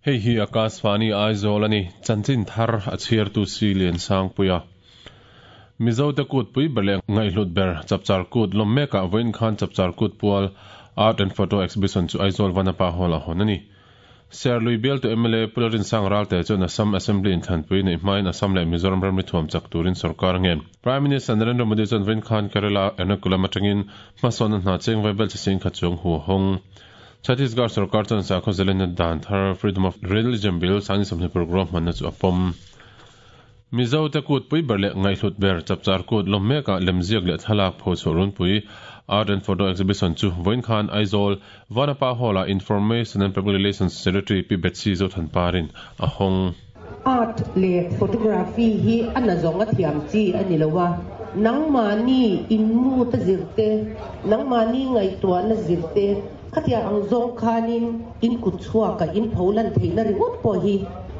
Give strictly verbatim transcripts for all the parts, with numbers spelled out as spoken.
Hei hi Akashvani Aizawl ani chanchin thar a chhiar tu si lian sang puia Mizo te kut pui ber leh ngaihhlut ber Chapchar Kut lawm mekah vawiin khan Chapchar Kut pual Art and Photo Exhibition chu Aizawl Vanapa Hall a hawn a ni. Serlui bialtu M L A Pularin Sang Ralte chuan Assam Assembly inthlanpui neih hmain Assam leh Mizoram ramri thuam chak turin sorkar a ngen. Prime Minister Narendra Modi chuan vawiin khan Kerala Ernakulam atangin hmasawnna hna cheng vai bel chi sing khat chuang hu a hawng. Chhattisgarh sorkar chuan sakhaw zalenna dan thar Freedom of Religion Bill sangni sawmhnih paruk ruahmanna chu a pawm. Mizo te kut pui ber leh ngaihhlut ber Chapchar Kut lawm mekah lemziak leh thlalak phochhuah runpui Art and Photo Exhibition chu vawiin khan Aizawl Vanapa Hall-ah Information and Public Relations Secretary Pi Betsy Zothanparin a hawng. Art leh photography hi a nazawng a thiam chi a ni lo a, nangmahni inmut a zir te, nangmahni ngaihtuahna zir te, khatia ang zawng khanin in kut chhuaka in pho lan theihna ringawt pawh hi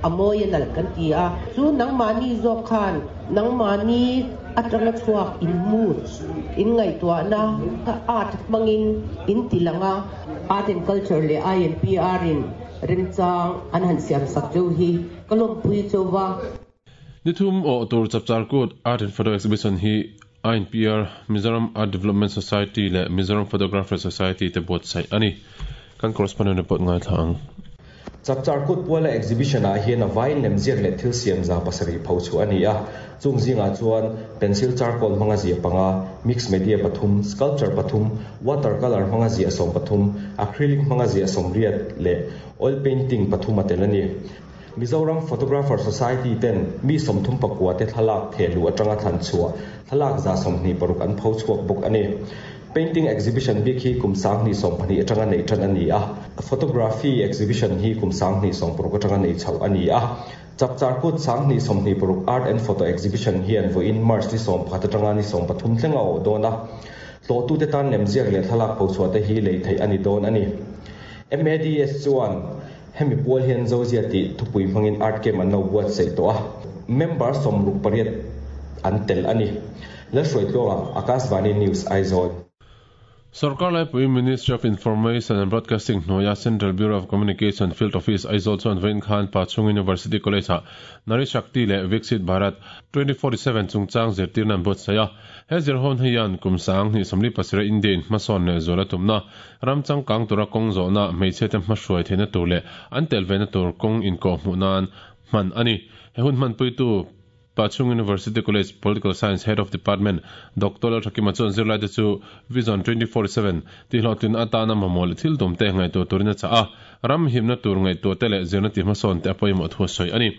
a mawi a nalh kan ti a. Chu nangmahni zawk khan nangmahni atanga chhuak inmut, in ngaihtuahna kha art hmangin in ti lang a. Art and Culture leh I N P R in remchang an han siam sak cheu hi ka lawmpui chauh a. Nithum awh tur Chapchar Kut Art and Photo Exhibition hi I N P R, Mizoram Art Development Society leh Mizoram Photographer Society te buatsaih a ni. Kan correspondent report ngaithla ang. Chapchar Kut puala exhibition ah hian a vaiin lemziak leh thil siam za pasarih pho chhuah a ni a. Chung zingah chuan pencil charcoal hmanga ziah panga, mix media pathum, sculpture pathum, watercolor hmanga ziah sawm pathum, acrylic hmanga ziah sawmriat leh oil painting pathum a tel a ni. Mizoram Photographer Society ten mi sawmthum pakua te thlalak thehluh atanga thlan chhuah thlalak za sawmhnih paruk an pho chhuak bawk a ni. Painting exhibition bik hi kum sanghnih sawm pahnih atanga nei tan a ni a. Photography exhibition hi kum sanghnih sawm paruk atanga nei chhoh a ni a. Chapchar Kut sanghnih sawmhnih paruk Art and Photo Exhibition hian vawiin March ni sawm pakhat atanga ni sawm pathum thleng a awh dawn a. Tlawhtute tan lemziak leh thlalak pho chhuah te hi lei theih a ni dawn a ni. M A D S chuan hemi pual hian Zozia tih thupui hmangin art camp an lo buatsaih tawh a. Member sawmruk pariat an tel a ni. Lalhruaitluanga, Akashvani News, Aizawl. Sorkar laipui Ministry of Information and Broadcasting hnuaia Central Bureau of Communication Field Office Aizawl chuan vawiin khan Pachhung University College ah Nari Shakti leh Viksit Bharat twenty forty seven chungchang zirtirna an buatsaih a. He zirhawn hian kum sang hnih sawmli pasarih India in hmasawn leh zual a tumna ram changkang tura kawng zawhna hmeichhe te hmahruai theihna tur leh an tel vena tur kawng inkawh hmuh nan hman a ni. He hun hmanpuitu Pachhung University College Political Science Head of Department Doctor Lalthakima chuan zirlai te chu Vision twenty forty seven tihhlawhtlin atana mamawh leh thil tum te ngaihtuah turin a chah a. Ram himna tur ngaihtuah te leh zirna ti hmasawn te a pawimawh thu a sawi a ni.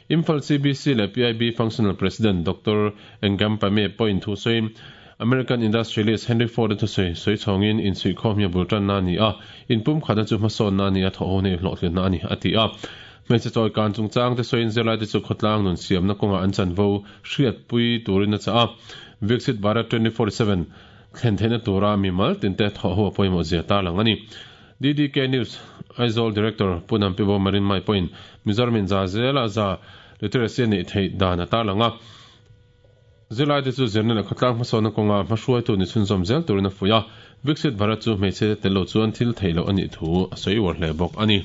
Imphal C B C leh P I B Functional President Doctor Engampame pawhin thu sawiin American industrialist Henry Ford thu sawi sawi chhawngin insuihkhawm hi a bul tanna a ni a, inpum khatna chu hmasawnna a ni a, thawh ho nei hlawhtlinna a ni a ti a. Hmeichhe chawi kan chungchang te sawiin zirlai te chu khawtlang nun siamna kawnga an chanvo hriatpui turin a chah a. Viksit Bharat twenty forty seven thlen theihna tura mimal tin te thawh ho a pawimawh zia tarlang a ni. D D K News Aizawl Director Punam Pibo Marin Mai pawhin Mizoramin za zela za literacy a neih theih dan a tarlang a. Zirlai te chu zirna leh khawtlang hmasawnna kawnga hmahruaitu ni chhunzawm zel turin a fuih a. Viksit Bharat chu hmeichhe te tel lo chuan thil theih loh a nih thu a sawi uar hle bawk a ni.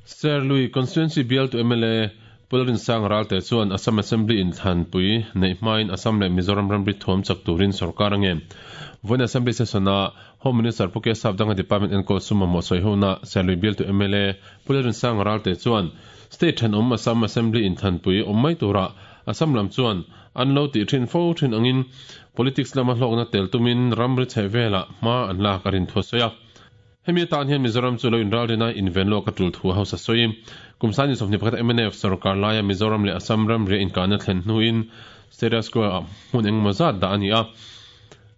Serlui Constituency bialtu M L A Pularin Sang Ralte chuan Assam Assembly inthlanpui neih hmain Assam leh Mizoram ramri thuam chak turin sorkar a ngen. Vawiin Assembly session a Home Minister Pu K Sapdanga Department enkawl sum mamawh sawi hona Serlui bialtu M L A Pularin Sang Ralte chuan state thenawm Assam Assembly inthlanpui awm mai tura Assam lam chuan an lo tih thin fo thin angin politics lama hlawkna tel tumin ramri chhe vela hma an lak a rin thu a sawi a. Hemi atan hian Mizoram chu lo inralrina inven lawk a tul thu a hausa sawi. Kum sangni sawmhnih pakhat M N F sarkar laia Mizoram leh Assam ramri inkahna thlen hnuin status quo ah hmun engemaw zat dah a ni a.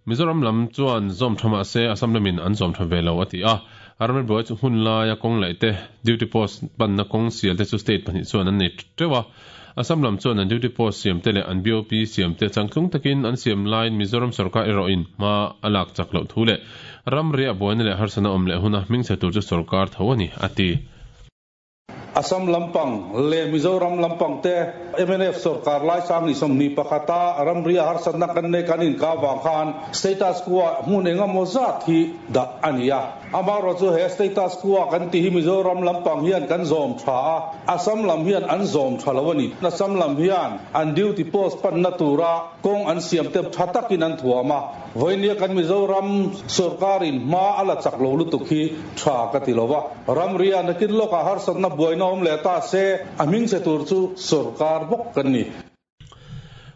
Mizoram lam chuan zawm tha mah se Assam lamin an zawm tha ve lo a ti a. Ramri buai chu hun laia kawng laih te, duty post panna kawng sial te chu state pahnih chuan an nei teuh a. Assam lam chuan an duty post siam te leh an B O P siam te changtlung takin an siam laiin Mizoram sarkar erawhin hma a lak chak loh thu leh ramri a buaina leh harsana awm leh huna hming chhe tur chu sarkar tho a ni a ti. Assam lampang le Mizoram lampang te M N F sarkar lai sang ni somni pakhata ramria harsat na kan ne kanin ka wang khan status quo hmun enga moza thi da ania amaro chu he status quo kan ti hi Mizoram lampang hian kan zom tha Assam lam hian an zom thalawani Assam lam hian an duty post pan na tura kong an siam te thatakin an thuama voinia kan Mizoram sarkarin ma ala chaklo lu tu khi tha ka tilowa ramria nakin loka harsat na buaina om le ta se aming se tur chu sarkar bok kan ni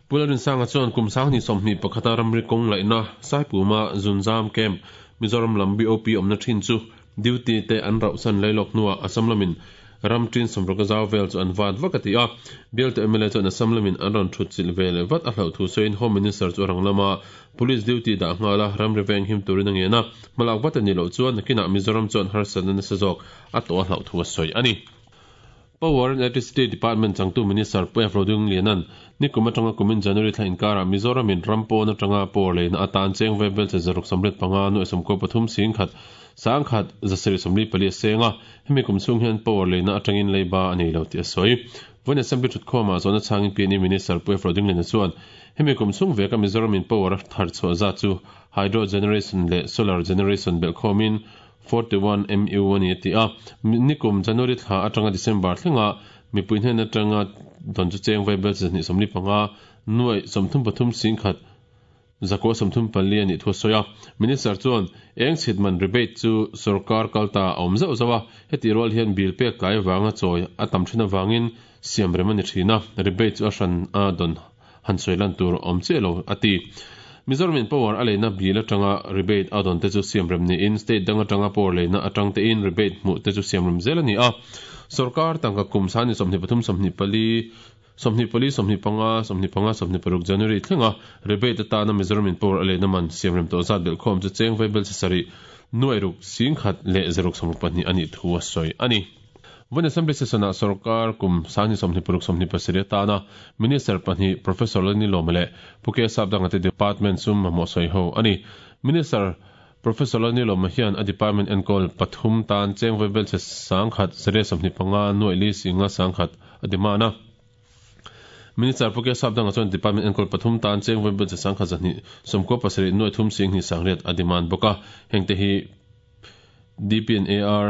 Pularin sanga chuan kum sang ni somni pakhata ramri kong laina saipuma zunzam camp Mizoram lam B O P omna thin chu duty te an rau san lailok nuwa Assam lamin ram tin somroka zaw vel chu an wat vakati a bial te M L A chuan Assam lamin an ron thut chil vel vat a hlau thu soin Home Minister chu rang lama police duty da ngala ram reveng him turin angena malak wat ani lo chuan nakina Mizoram chuan harsan na sazok a to hlau thu soi ani Power and Electricity Department changtu Minister Pu Rodung Lianan nikuma tanga kumin January thla inkara Mizoram in rampo na tanga por leina atan cheng vebel che zaruk samret panga nu som ko pathum sing khat sang khat zaseri somli pali senga hemi kum chung hian power leina atangin leiba ani lo ti soi von assembly thut khoma zona changin P N E Minister Pu Rodung Lianan chuan hemi kum chung veka Mizoram in power thar chu za chu hydro generation le solar generation bel khomin forty-one M U one ti a nikum January thla atanga December thlenga mipui hnen atanga don chu cheng vai bel ni somli panga nuai somthum pathum sing khat zako somthum pali ani thu soya minister chuan eng chitman rebate chu sarkar kalta awm zau zawa heti rol hian bill pe kai wanga choi atam thina wangin siam remani thina rebate chu a hran a don han soilan tur awm che lo ati Mizoram in power aleina bill atanga rebate adon te chu siam rem ni in state dang atanga power leina atang te in rebate mu te chu siam rem zel ani a sarkar tangka kum sani somni pathum somni pali somni pali somni panga somni panga somni paruk January thlenga rebate ta na Mizoram in power aleina man siam rem to zat bel khom chu cheng veibel sari nuai ruk sing khat le zeruk somruk pahnih ani thu a soi ani Von assembly session a sarkar kum sani somni paruk somni pasiri ta na minister pahnih Professor Lani Lomale puke sabdang ate department sum mo soi ho ani minister Professor Lani Loma hian a department enkol pathum tan cheng veibel che sangkhat sere somni panga nuai li singa sangkhat adimana Minister Puke Sabdang chuan department enkol pathum tan cheng veibel che sangkhat zani somko pasari nuai thum sing ni sangriat adiman boka hengte hi D P N A R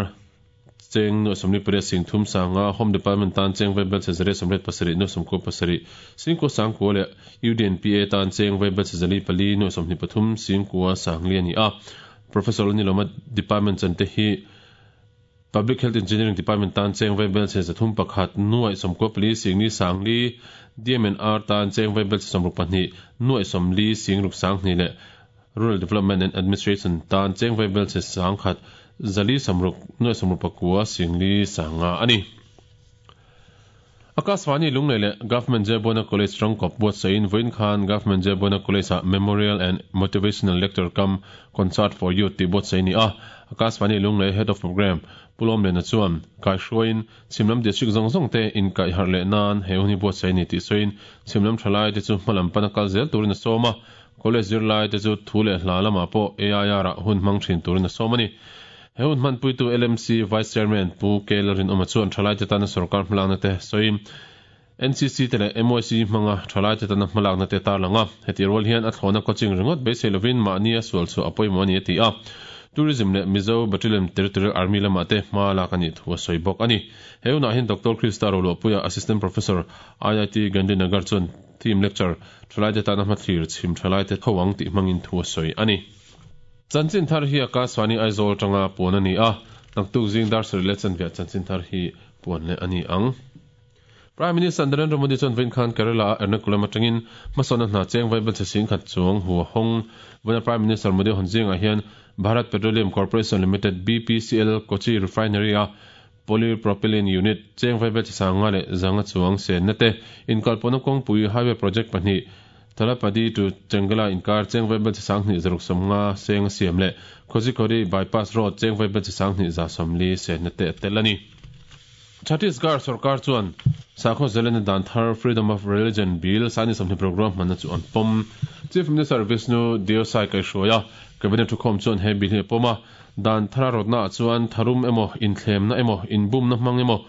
cheng no somni pare sing thum sanga Home Department tan cheng veibel che zare somret pasari no somko pasari singko sangko le U D N P A tan cheng veibel che zali pali no somni pathum singko sangli ani a Professor Lani Loma department chante hi Public Health Engineering Department tan cheng veibel che zathum pakhat nuai somko pali singni sangli D M N R tan cheng veibel che somruk pahnih nuai somli singruk sangni le Rural Development and Administration tan cheng veibel che sangkhat zali samruk noi samruk pakua singli sanga ani Akaswani lunglei le Government Jebona College rangkop buat sain voin khan Government Jebona College a Memorial and Motivational Lecture cum Concert for Youth ti buat saini a Akaswani lunglei Head of Program pulom le na chuan kai hruain chimlam district zong zong te in kai har le nan he huni buat saini ti soin chimlam thalai te chu hmalam pana kal zel turin soma college zirlai te chu thule hla lama po A I R a hun mang thin turin somani Heun man puitu L M C Vice Chairman Pu Kelarin Omachuan thalai te tana sarkar hmalakna te soim N C C te le M Y C hmanga thalai te tana hmalakna te tar langa heti rol hian a thlona coaching ringot beisei lovin mahni a sual chu apawimawh ani ti a Tourism le Mizo Battalion Territorial Army lama te hma lak ani thu a sawi bawk ani heunah hian Doctor Krista Roluahpuia Assistant Professor I I T Gandhinagar chuan team lecture thalai te tana hmathlir chhim thalai te thawang tih hmangin thu a sawi ani Chanchin thar hi Akaswani Aizawl tanga puan ani a naktuk zing dar sari le chanvia chanchin thar hi puan le ani ang Prime Minister Narendra Modi chuan vain khan Kerala Ernakulam atangin hmasawna hna cheng vaibel che sing khat chuang hu hong vana Prime Minister Modi hon zinga hian Bharat Petroleum Corporation Limited B P C L Kochi Refinery a polypropylene unit cheng vaibel che sanga le zanga chuang se na te inkalpona kawngpui highway project pahnih Thalapadi to Chengala inkar cheng vaibel che sangni zaruk somnga seng siam le Kozhikode bypass road cheng vaibel che sangni za somli se na te telani Chhattisgarh sarkar chuan sakho zelen dan thar Freedom of Religion Bill sani somni program manna chu an pom Chief Minister Vishnu Deo Sai kai hruaia cabinet thukhawm chuan he bill hi pawma dan thara rawtna chuan tharum emaw inthlem na emaw inbum na hmang emaw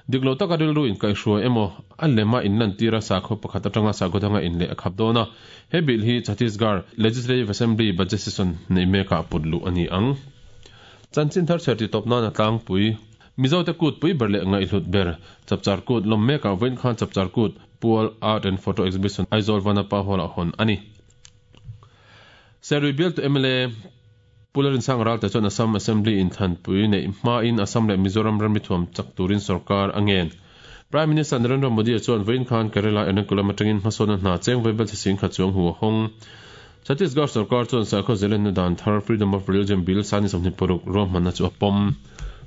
Diklo taka rilru in kaihhruai emaw a lema in lan tira sakhaw pakhat atanga sakhaw danga in leh a khap dawn a. He bill hi Chhattisgarh Legislative Assembly budget session nei mekah put luh a ni ang. Chanchin thar chher ti tawp nan a tlangpui. Mizote kut pui ber leh ngaihhlut ber Chapchar Kut lawm mekah vawiin khan Chapchar Kut pual Art and Photo Exhibition Aizawl Vanapa Hall-ah hawn a ni. Serui bialtu M L A Pu Lalrinsanga Ralte chuan Assam Assembly inthanpui neih hmain Assam leh Mizoram ramri thuam chak turin sorkar a ngen. Prime Minister Narendra Modi chuan vawiin khan Kerala Ernakulam atangin hmasawnna hna cheng vaibel chi sing khat chuang hu a hawng. Chhattisgarh sorkar chuan sakhaw zelenna dan thar Freedom of Religion Bill sangni sawmhnih paruk ruahmanna chu a pawm.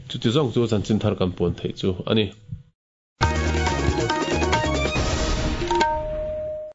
Chuti zawng chu chanchin thar kan puan theih chu a ni.